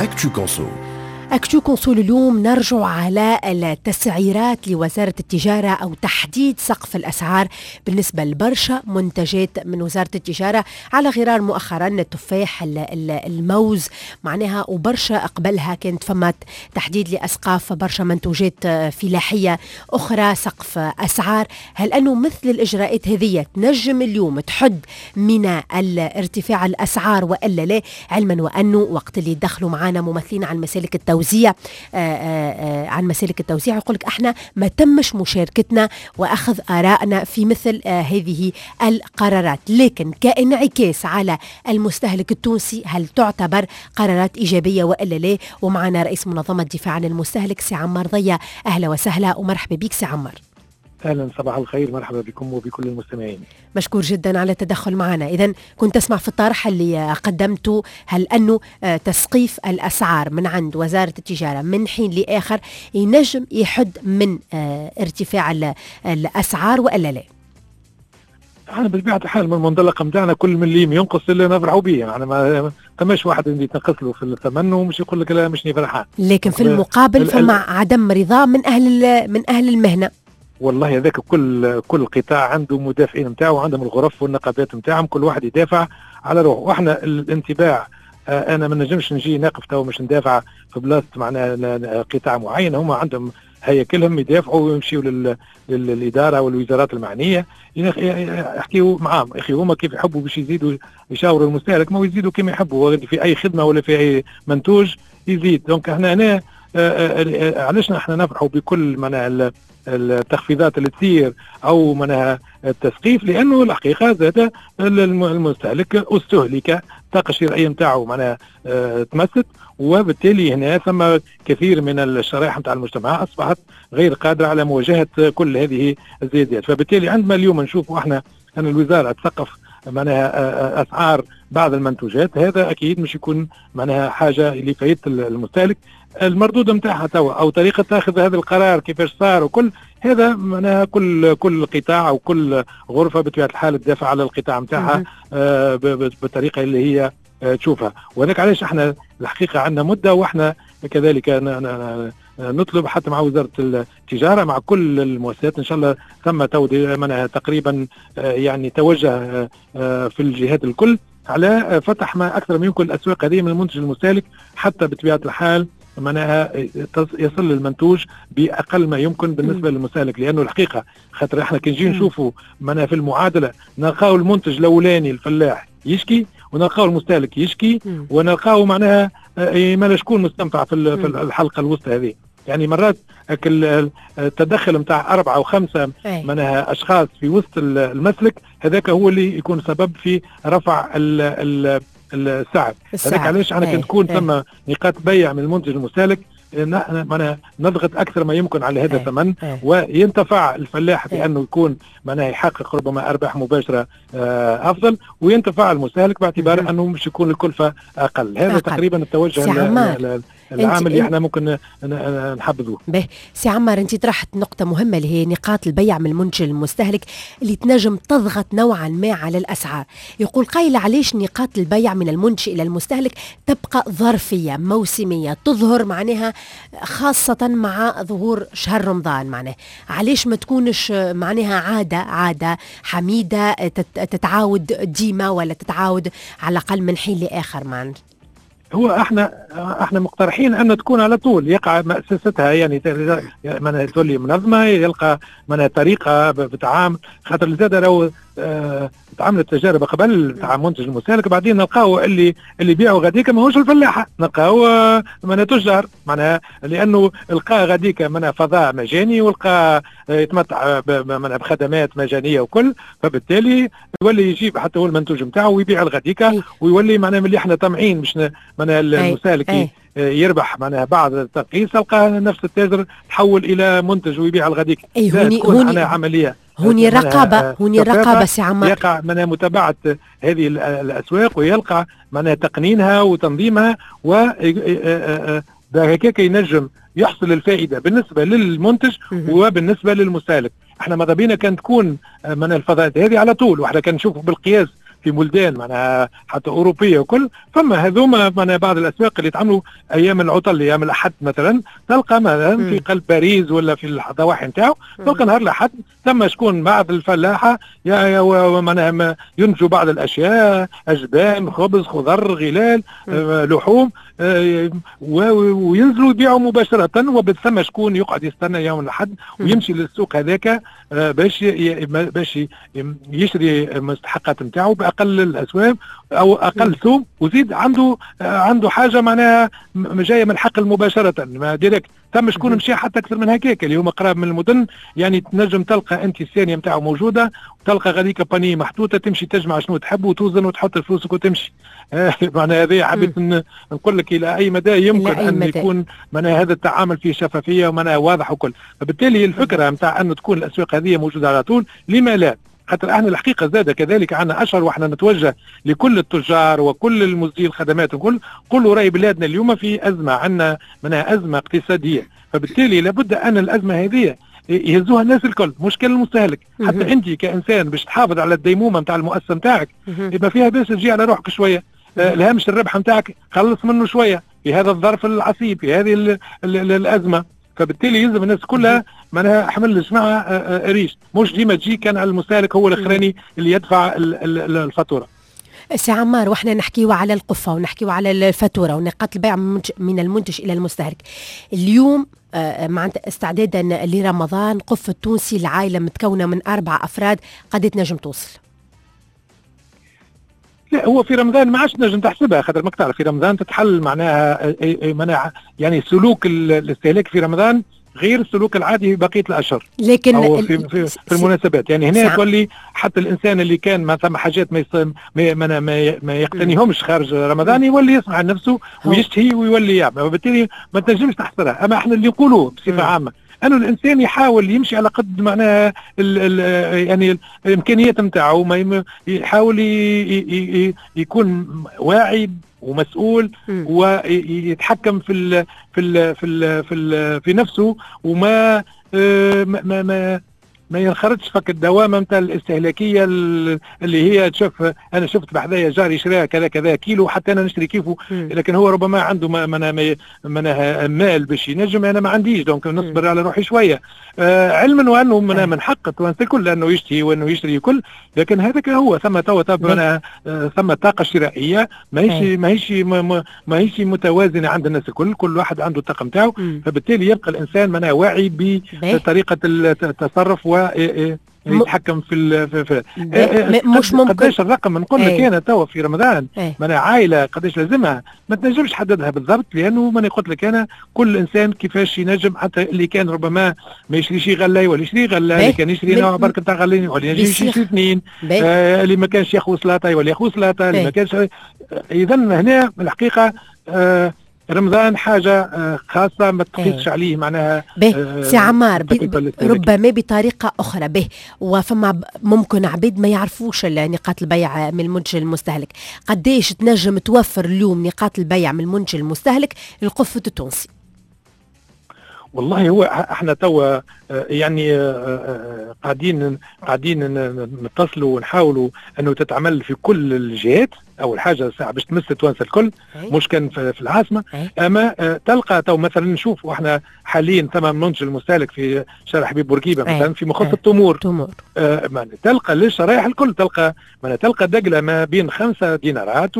Actu Conso. Actu Conso اليوم نرجع على التسعيرات لوزارة التجارة أو تحديد سقف الأسعار بالنسبة لبرشا منتجات من وزارة التجارة، على غرار مؤخرا التفاح، الموز معناها، وبرشا قبلها كانت فما تحديد لأسقاف برشا منتوجات فلاحية أخرى، سقف أسعار. هل أنه مثل الإجراءات هذه تنجم اليوم تحد من الارتفاع الأسعار وإلا لا؟ علما وأنه وقت اللي دخلوا معنا ممثلين عن مسالك التوزيع عن مسالك التوزيع يقول لك احنا ما تمش مشاركتنا واخذ ارائنا في مثل هذه القرارات، لكن كانعكاس على المستهلك التونسي هل تعتبر قرارات ايجابية والا لا؟ ومعنا رئيس منظمة الدفاع عن المستهلك سي عمار ضيا، اهلا وسهلا ومرحبا بك سي عمار. اهلا، صباح الخير، مرحبا بكم وبكل المستمعين. مشكور جدا على التدخل معنا. اذا كنت تسمع في الطرح اللي قدمته، هل انه تسقيف الاسعار من عند وزارة التجارة من حين لاخر ينجم يحد من ارتفاع الاسعار والا لا؟ احنا بطبيعة الحال من المنطلق نتاعنا كل مليم ينقص اللي نفرحوا به، يعني ما ثماش واحد اللي يتنقص له في الثمن ومش يقول لك لا مش فرحان. لكن في المقابل فما عدم رضا من اهل المهنه. والله هذاك كل قطاع عنده مدافعين نتاعو، وعندهم الغرف والنقابات نتاعهم، كل واحد يدافع على روحه. واحنا الانطباع انا ما نجمش نجي نقف تو مش ندافع في بلاصة معناها قطاع معين، هم عندهم هياكلهم يدافعوا ويمشيوا للادارة والوزارات المعنية يحكيوا معاهم. يا اخي هما كيف يحبوا باش يزيدوا يشاوروا المستهلك، ما يزيدوا كما يحبوا في اي خدمة ولا في اي منتوج يزيد. donc احنا هنا علاش احنا نفرحوا بكل معناها التخفيضات اللي تصير او معناها التسقيف؟ لانه الحقيقة زاد المستهلك استهلك، الطاقة الشرائية نتاعو معناها تمست، وبالتالي هنا ثم كثير من الشرائح نتاع المجتمع اصبحت غير قادرة على مواجهة كل هذه الزيادات. فبالتالي عندما اليوم نشوف احنا ان الوزارة تسقف معناها اسعار بعض المنتوجات، هذا اكيد مش يكون معناها حاجة اللي فايدة المستهلك. المردود نتاعها توا او طريقه اخذ هذا القرار كيفاش صار وكل هذا، معناها كل قطاع او كل غرفة بطبيعة الحال تدافع على القطاع نتاعها بالطريقة اللي هي تشوفها. وهذاك علاش احنا الحقيقة عندنا مده واحنا كذلك نطلب حتى مع وزارة التجاره، مع كل المؤسسات، ان شاء الله ثم معناها تقريبا يعني توجه في الجهات الكل على فتح ما اكثر ما يمكن الاسواق هذه من المنتج المستهلك، حتى بطبيعة الحال معناها يصل المنتوج باقل ما يمكن بالنسبة للمستهلك. لانه الحقيقة خاطر احنا كي نجي نشوفوا معناها في المعادلة نلقاو المنتج الاولاني الفلاح يشكي، ونلقاو المستهلك يشكي، ونلقاو معناها ما شكون مستنفع في الحلقة الوسطى هذه. يعني مرات التدخل نتاع أربعة وخمسة معناها أشخاص في وسط المسلك هذاك هو اللي يكون سبب في رفع السعر. هذاك علاش احنا كي تكون ثم نقاط بيع من المنتج المستهلك نحن معناها نضغط اكثر ما يمكن على هذا الثمن، وينتفع الفلاح بانه يكون معناها يحقق ربما ارباح مباشرة افضل، وينتفع المستهلك باعتبار انه مش يكون الكلفة اقل. هذا أقل. تقريبا التوجه العام اللي احنا ممكن نحبذوه. به سي عمار، انت طرحت نقطة مهمة اللي هي نقاط البيع من المنتج المستهلك اللي تنجم تضغط نوعا ما على الأسعار. يقول قائل علاش نقاط البيع من المنتج إلى المستهلك تبقى ظرفية موسمية، تظهر معناها خاصة مع ظهور شهر رمضان؟ معناها علاش ما تكونش معناها عادة حميدة تتعاود ديما ولا تتعاود على الأقل من حين لآخر معناها؟ هو احنا مقترحين ان تكون على طول، يقع مؤسستها، يعني معناها تولي منظمه، يلقى معناها طريقه بتعامل، خاطر زاد لو تعملت تجارب قبل تاع منتج المستهلك، بعدين نلقاو اللي يبيعوا غاديك ماهوش الفلاحه، نلقاو معناها تجار، معناها لانه لقى غاديك معناها فضاء مجاني ولقى يتمتع معناها بخدمات مجانية وكل، فبالتالي يولي يجيب حتى هو المنتوج نتاعو ويبيع الغاديكا، ويولي معناها ملي احنا طامعين باش معناها المستهلك يربح معناها بعض الترخيص، تلقى نفس التاجر تحول الى منتج ويبيع الغاديك. اي هوني عملية هوني رقابه، هوني رقابه سي عمار. يقع معناها متابعه هذه الاسواق ويلقى معناها تقنينها وتنظيمها، و هكاك ينجم يحصل الفائدة بالنسبة للمنتج وبالنسبة للمستهلك. احنا ماذا بينا كان تكون من الفضاءات هذه على طول، واحنا كان نشوفوا بالقياس في بلدان معناها حتى اوروبية وكل، فما هذوما معناها بعض الاسواق اللي تعملوا ايام العطل، ايام الاحد مثلا، تلقى مثلا في قلب باريس ولا في الضواحي نتاعو، تلقى نهار الاحد ثم شكون بعض الفلاحة معناها ينتجوا بعض الاشياء، اجبان، خبز، خضر، غلال، لحوم، وينزلوا يبيعوا مباشرة، وبثم شكون يقعد يستنى يوم الاحد ويمشي للسوق هذاك باش يشري المستحقات نتاعو باقل الاسوام او اقل سوم، وزيد عنده حاجة معناها جاية من الحقل مباشرة ما direct. ثم شكون مشى حتى اكثر من هكاك اللي هما قراب من المدن، يعني تنجم تلقى انت الثانية نتاعو موجودة، وتلقى غاديك panier محطوطة، تمشي تجمع شنو تحب وتوزن وتحط فلوسك وتمشي. معناها هذه حبيت نقول لك الى اي مدى يمكن أي ان مدى يكون معناها هذا التعامل فيه شفافية ومعناها واضح وكل. فبالتالي الفكرة نتاع انه تكون الاسواق هذه موجودة على طول، لما لا؟ خاطر احنا الحقيقة زاده كذلك عندنا اشهر، واحنا نتوجه لكل التجار وكل المزدي الخدمات وكل، قولوا راي بلادنا اليوم في ازمة، عندنا منها ازمة اقتصادية، فبالتالي لابد ان الازمة هذه يهزوها الناس الكل، مش كان المستهلك. حتى انت كانسان باش تحافظ على الديمومه نتاع المؤسسة نتاعك يبقى فيها باس تجي على روحك شوية، الهامش الربح نتاعك خلص منه شوية في هذا الظرف العصيب، في هذه ال ال الازمة. فبالتالي يلزم الناس كلها معناها حمل الجماعة ريش، مش ديما تجي كان على المستهلك هو الاخراني اللي يدفع الفاتورة. سي عمار، واحنا نحكيو على القفه ونحكيو على الفاتورة ونقاط البيع من المنتج الى المستهلك. اليوم معناتها استعدادا لرمضان، قفة التونسي العائلة متكونه من 4 افراد قد تنجم توصل؟ لا، هو في رمضان ما عادش تنجم تحسبها، خاطر ماك تعرف في رمضان تتحل معناها معناها يعني سلوك الاستهلاك في رمضان غير السلوك العادي في بقية الاشهر، لكن أو في المناسبات. يعني هنا تولي حتى الانسان اللي كان ما ثم حاجات ما يقتنيهمش خارج رمضان يولي يسمع عن نفسه ويشتهي ويولي يعمل، وبالتالي ما تنجمش تحصرها. اما احنا اللي نقولوه بصفة عامة انه الانسان يحاول يمشي على قد معناها يعني الامكانيات نتاعو، ما يحاول يكون واعي ومسؤول ويتحكم في ال في ال في ال في, ال في نفسه، وما ما ما ما ينخرطش فك الدوامة نتاع الاستهلاكية اللي هي تشوف انا شفت بحذايا جاري شراء كذا كذا كيلو حتى انا نشتري كيفه، لكن هو ربما عنده ما مال باش ينجم، انا ما عنديش، donc نصبر على روحي شوية. علما وانه من حق التوانسة الكل انه يشتهي وانه يشتري كل، لكن هذاك هو ثم توا ثم طاقة شرائية ماهيش متوازنة عند الناس الكل، كل واحد عنده الطاقة نتاعو، فبالتالي يبقى الانسان معناها واعي بطريقة التصرف و يتحكم في مش ممكن قداش الرقم نقول لك انا توا في رمضان معناها عائلة قداش لازمها ما تنجمش تحددها بالضبط، لانه ماني قلت لك انا كل انسان كيفاش ينجم، حتى اللي كان ربما ما يشريش غلاي ولا يشري غلاي، اللي كان يشري نوع برك نتاع غلاي ولا يشري اثنين، اللي ما كانش ياخذ سلطة ولا ياخذ سلطة، اللي ما كانش. اذا هنا الحقيقة رمضان حاجة خاصة ما تقيسش عليه معناها. به سي عمار، ربما بطريقة أخرى به، وفما ممكن عبيد ما يعرفوش نقاط البيع من المنتج المستهلك، قديش تنجم توفر اليوم نقاط البيع من المنتج المستهلك للقفة التونسي؟ والله هو احنا توا يعني قاعدين نتصلوا ونحاولوا انه تتعمل في كل الجهات. اول حاجة ساعة باش تمس التوانسة الكل، مش كان في العاصمة. اما تلقى تو مثلا نشوف واحنا حاليا ثم منتج المستهلك في شارع حبيب بورقيبة مثلا في مخص التمور، تلقى للشرايح الكل، تلقى تلقى دقله ما بين 5 دينارات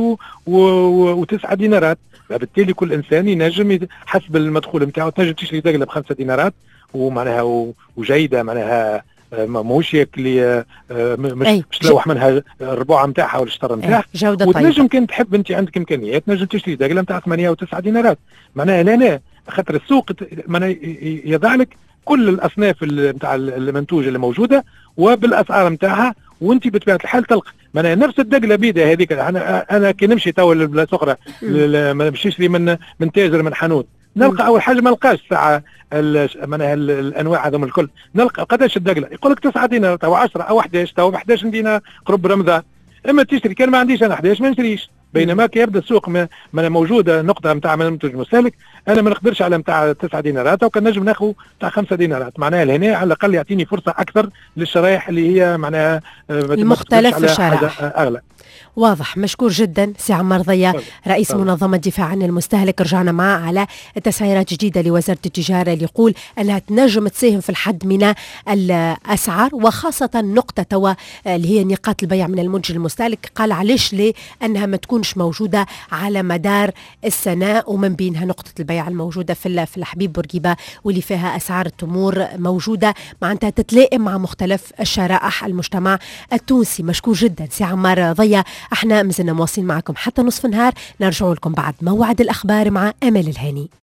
و9 دينارات، فبالتالي كل انسان ينجم حسب المدخول نتاعو تنجم تشري دقله ب5 دينارات ومعناها وجيده، معناها ماهوش ياكل مش تلوح منها الربوعه نتاعها ولا الشطر نتاعها، جوده وتنجم طيبة. كان تحب انت عندك امكانيات تنجم تشري دقله نتاع 8 و9 دينارات، معناها لا لا خاطر السوق معناها يضع لك كل الاصناف نتاع المنتوج اللي موجودة وبالاسعار نتاعها، وانت بطبيعة الحال تلقى معناها نفس الدقله بيده هذيك. انا كي نمشي تو لبلاصه اخرى ما نمشيش لي من تاجر من حانوت، نلقى اول حاجة ما نلقاش ساعة معناها الانواع هذوما الكل، نلقى قداش الدقله يقول لك 9 دينار او 10 او 11 او 11 دينار قرب رمضان، اما تشتري كان ما عنديش انا 11 ما نشريش. بينما كي يبدا السوق ما موجودة نقطة نتاع منتج مستهلك، انا ما نقدرش على نتاع 9 دينارات وكان نجم ناخذ نتاع 5 دينارات، معناها لهنا على الاقل يعطيني فرصة اكثر للشرائح اللي هي معناها المختلف الشرائح اغلى. واضح. مشكور جدا سي عمار ضيا، رئيس منظمة دفاع عن المستهلك. رجعنا معه على تسعيرات جديدة لوزارة التجارة اللي يقول أنها تنجم تساهم في الحد من الأسعار، وخاصة نقطة توا اللي هي نقاط البيع من المنتج المستهلك. قال علاش ليه أنها ما تكونش موجودة على مدار السنة، ومن بينها نقطة البيع الموجودة في الحبيب بورقيبة واللي فيها أسعار التمور موجودة، معناتها تتلائم مع مختلف الشرائح المجتمع التونسي. مشكور جدا سي عمار ضيا. احنا مازلنا مواصلين معكم حتى نصف النهار، نرجع لكم بعد موعد الأخبار مع أمل الهاني.